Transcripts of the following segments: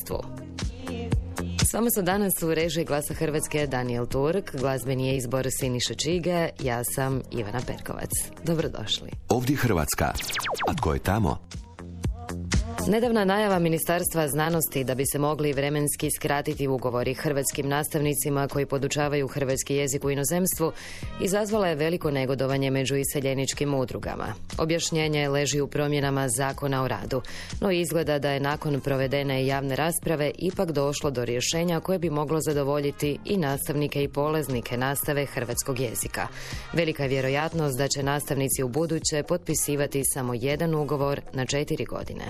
inozemstvu. S vama su danas u režiji Glasa Hrvatske Daniel Turk, glazbeni je izbor Siniše Čige, ja sam Ivana Perkovac. Dobrodošli. Ovdje Hrvatska. A tko je tamo? Nedavna najava Ministarstva znanosti da bi se mogli vremenski skratiti ugovori hrvatskim nastavnicima koji podučavaju hrvatski jezik u inozemstvu izazvala je veliko negodovanje među iseljeničkim udrugama. Objašnjenje leži u promjenama Zakona o radu, no izgleda da je nakon provedene javne rasprave ipak došlo do rješenja koje bi moglo zadovoljiti i nastavnike i polaznike nastave hrvatskog jezika. Velika je vjerojatnost da će nastavnici u buduće potpisivati samo jedan ugovor na 4 godine.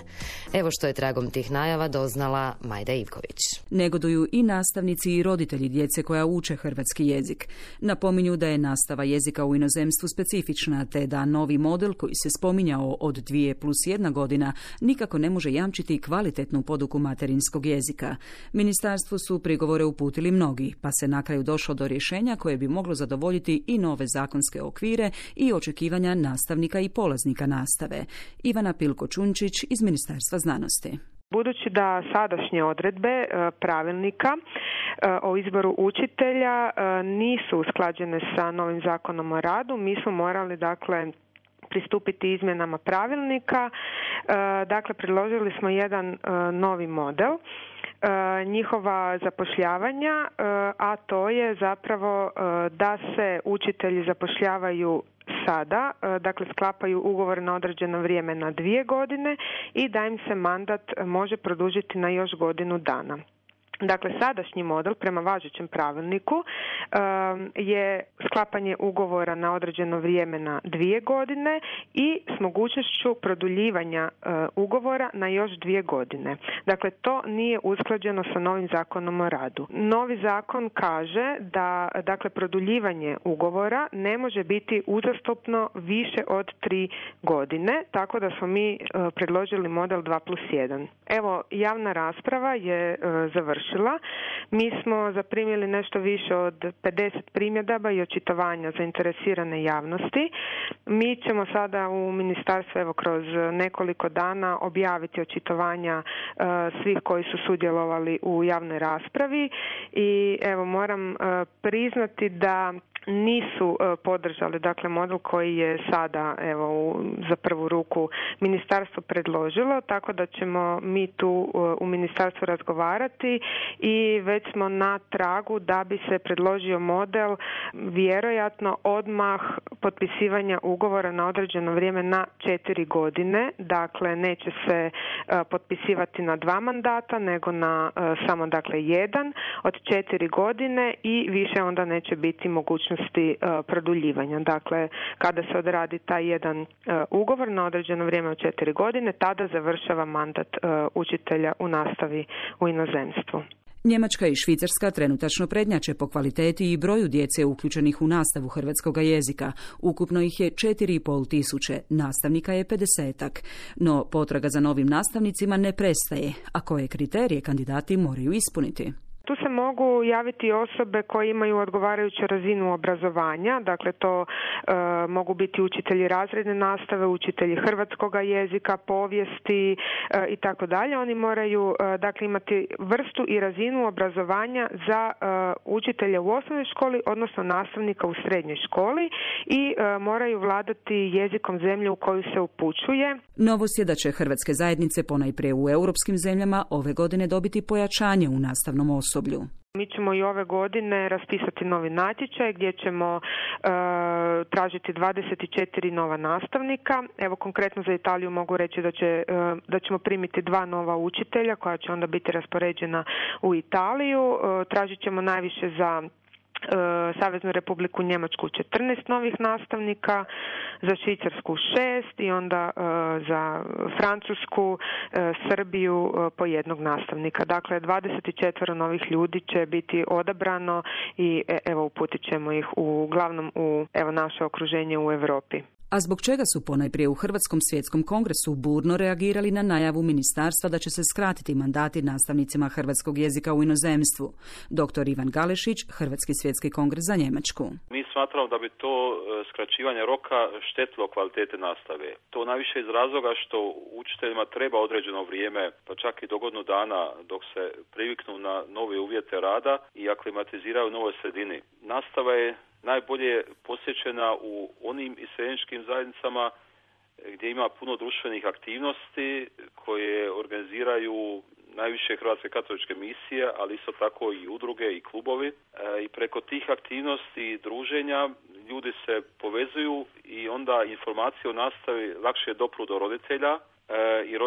Evo što je tragom tih najava doznala Majda Ivković. Negoduju i nastavnici i roditelji djece koja uče hrvatski jezik. Napominju da je nastava jezika u inozemstvu specifična, te da novi model koji se spominjao od 2+1 godina nikako ne može jamčiti kvalitetnu poduku materinskog jezika. Ministarstvu su prigovore uputili mnogi, pa se na kraju došlo do rješenja koje bi moglo zadovoljiti i nove zakonske okvire i očekivanja nastavnika i polaznika nastave. Ivana Pilko-Čunčić iz Ministarstva znanosti. Budući da sadašnje odredbe pravilnika o izboru učitelja nisu usklađene sa novim Zakonom o radu, mi smo morali pristupiti izmjenama pravilnika. Dakle, predložili smo jedan novi model njihova zapošljavanja, a to je zapravo da se učitelji zapošljavaju sada, dakle sklapaju ugovor na određeno vrijeme na 2 godine i da im se mandat može produžiti na još godinu dana. Dakle, sadašnji model prema važećem pravilniku je sklapanje ugovora na određeno vrijeme na 2 godine i s mogućnošću produljivanja ugovora na još 2 godine. Dakle, to nije usklađeno sa novim Zakonom o radu. Novi zakon kaže da produljivanje ugovora ne može biti uzastopno više od 3 godine, tako da smo mi predložili model 2+1. Evo, javna rasprava je završila. Mi smo zaprimili nešto više od 50 primjedaba i očitovanja zainteresirane javnosti. Mi ćemo sada u ministarstvu kroz nekoliko dana objaviti očitovanja svih koji su sudjelovali u javnoj raspravi i moram priznati da nisu podržali model koji je sada za prvu ruku ministarstvo predložilo, tako da ćemo mi tu u ministarstvu razgovarati i već smo na tragu da bi se predložio model vjerojatno odmah potpisivanja ugovora na određeno vrijeme na 4 godine. Dakle, neće se potpisivati na 2 mandata, nego na samo jedan od 4 godine i više onda neće biti mogućnosti produljivanja. Dakle, kada se odradi taj jedan ugovor na određeno vrijeme od 4 godine, tada završava mandat učitelja u nastavi u inozemstvu. Njemačka i Švicarska trenutačno prednjače po kvaliteti i broju djece uključenih u nastavu hrvatskog jezika. Ukupno ih je 4,5 tisuće, nastavnika je 50-ak. No potraga za novim nastavnicima ne prestaje, a koje kriterije kandidati moraju ispuniti. Tu se mogu javiti osobe koje imaju odgovarajuću razinu obrazovanja, dakle to mogu biti učitelji razredne nastave, učitelji hrvatskog jezika, povijesti i tako dalje. Oni moraju imati vrstu i razinu obrazovanja za učitelja u osnovnoj školi, odnosno nastavnika u srednjoj školi i moraju vladati jezikom zemlje u koju se upućuje. Novost je da će hrvatske zajednice ponajprije u europskim zemljama ove godine dobiti pojačanje u nastavnom osoblju. Mi ćemo i ove godine raspisati novi natječaj gdje ćemo tražiti 24 nova nastavnika. Evo konkretno za Italiju mogu reći da ćemo primiti 2 nova učitelja koja će onda biti raspoređena u Italiju. Tražit ćemo najviše za Saveznu Republiku Njemačku 14 novih nastavnika, za Švicarsku 6 i onda za Francusku, Srbiju po 1 nastavnika. Dakle, 24 novih ljudi će biti odabrano i uputit ćemo ih uglavnom u naše okruženje u Europi. A zbog čega su ponajprije u Hrvatskom svjetskom kongresu burno reagirali na najavu ministarstva da će se skratiti mandati nastavnicima hrvatskog jezika u inozemstvu? Dr. Ivan Galešić, Hrvatski svjetski kongres za Njemačku. Mi smatramo da bi to skraćivanje roka štetilo kvalitete nastave. To najviše iz razloga što učiteljima treba određeno vrijeme, pa čak i do godinu dana dok se priviknu na nove uvjete rada i aklimatiziraju u novoj sredini. Nastava je najbolje posjećena u onim iseljeničkim zajednicama gdje ima puno društvenih aktivnosti koje organiziraju najviše hrvatske katoličke misije, ali isto tako i udruge i klubovi. I preko tih aktivnosti i druženja ljudi se povezuju i onda informacije o nastavi lakše dopru do roditelja i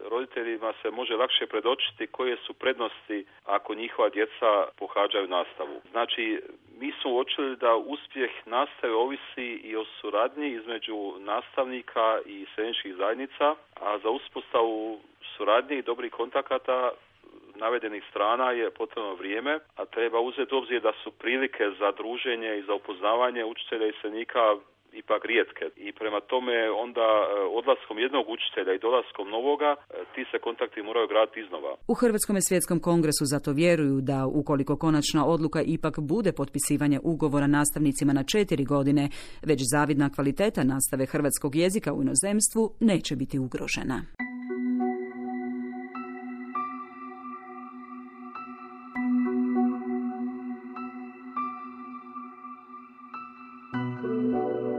roditeljima se može lakše predočiti koje su prednosti ako njihova djeca pohađaju nastavu. Znači, mi smo uočili da uspjeh nastave ovisi i o suradnji između nastavnika i iseljeničkih zajednica, a za uspostavu suradnje i dobrih kontakata navedenih strana je potrebno vrijeme, a treba uzeti u obzir da su prilike za druženje i za upoznavanje učitelja i iseljenika ipak rijetke. I prema tome onda odlaskom jednog učitelja i dolaskom novoga ti se kontakti moraju graditi iznova. U Hrvatskom svjetskom kongresu zato vjeruju da ukoliko konačna odluka ipak bude potpisivanje ugovora nastavnicima na 4 godine, već zavidna kvaliteta nastave hrvatskog jezika u inozemstvu neće biti ugrožena.